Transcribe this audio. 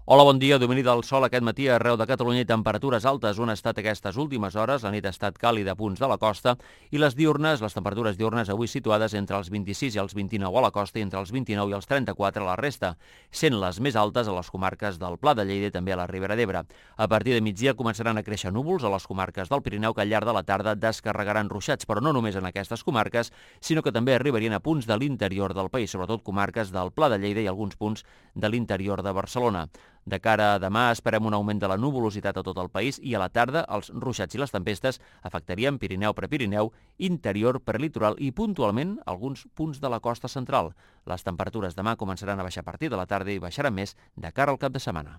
Hola, bon dia. Domini del sol aquest matí arreu de Catalunya i temperatures altes. On ha estat aquestes últimes hores? La nit ha estat càlida a punts de la costa i les temperatures diurnes avui situades entre els 26 i els 29 a la costa i entre els 29 i els 34 a la resta, sent les més altes a les comarques del Pla de Lleida i també a la Ribera d'Ebre. A partir de migdia començaran a créixer núvols a les comarques del Pirineu que al llarg de la tarda descarregaran ruixats, però no només en aquestes comarques, sinó que també arribarien a punts de l'interior del país, sobretot comarques del Pla de Lleida i alguns punts de l'interior de Barcelona. De cara a demà esperem un augment de la nuvolositat a tot el país i a la tarda els ruixats i les tempestes afectarien Pirineu, Prepirineu, interior, prelitoral i puntualment alguns punts de la costa central. Les temperatures demà començaran a baixar a partir de la tarda i baixaran més de cara al cap de setmana.